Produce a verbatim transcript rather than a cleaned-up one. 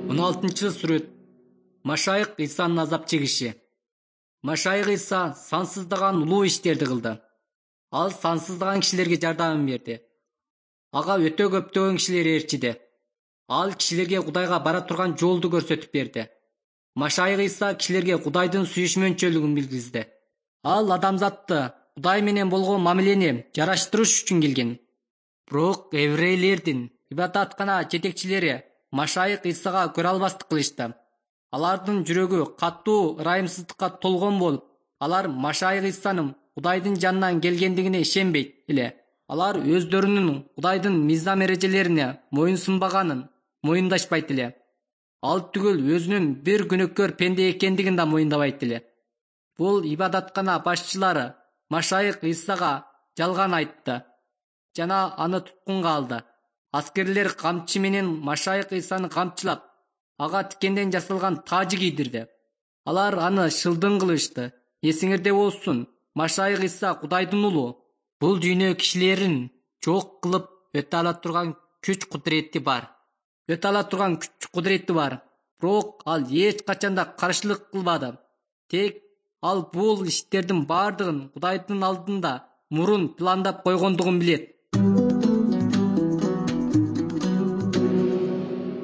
он алтынчы сүрөт. Машайык Исанын азап чегиши. Машайык Иса сансыздаган улуу иштерди кылды. Ал сансыздаган кишилерге жардам берди. Ага өтө көптөгөн кишилер ээрчиди. Ал кишилерге Кудайга бара турган жолду көрсөтүп берди. Машайык Иса кишилерге Кудайдын сүйүшмөнчөлүгүн билгизди. Ал адамзатты Кудай менен болгон мамилени жараштырыш үчүн келген. Бирок еврейлердин ибадаткана жетекчилери Машайык Исага көрө албастык кылышты. Алардын жүрөгү катуу ырайымсыздыкка толгон болуп, алар Машайык Исанын Кудайдын жанынан келгендигине ишенбейт эле. Алар өздөрүнүн Кудайдын мыйзам эрежелерине моюнсунбаганын моюндашпайт эле. Ал түгүл өзүнүн бир күнөөкөр пенде экендигин да моюндабайт эле. Бул ибадаткана башчылары Машайык Исага жалган айтты жана аны туткунга алды. Аскерлер камчы менен Машайык Исаны камчылап, ага тикенден жасалган тажы кийдирди. Алар аны шылдың кылышты. Эсиңерде болсун, Машайык Иса Кудайдын уулу. Бул дүйнө кишилерин жок кылып өтө ала турган күч кудурети бар. Өтө ала турган күч кудурети бар. Бирок ал эч качанда каршылык кылбады. Тек ал бул иштердин бардыгын Кудайдын алдында мурун пландап койгондугун билет.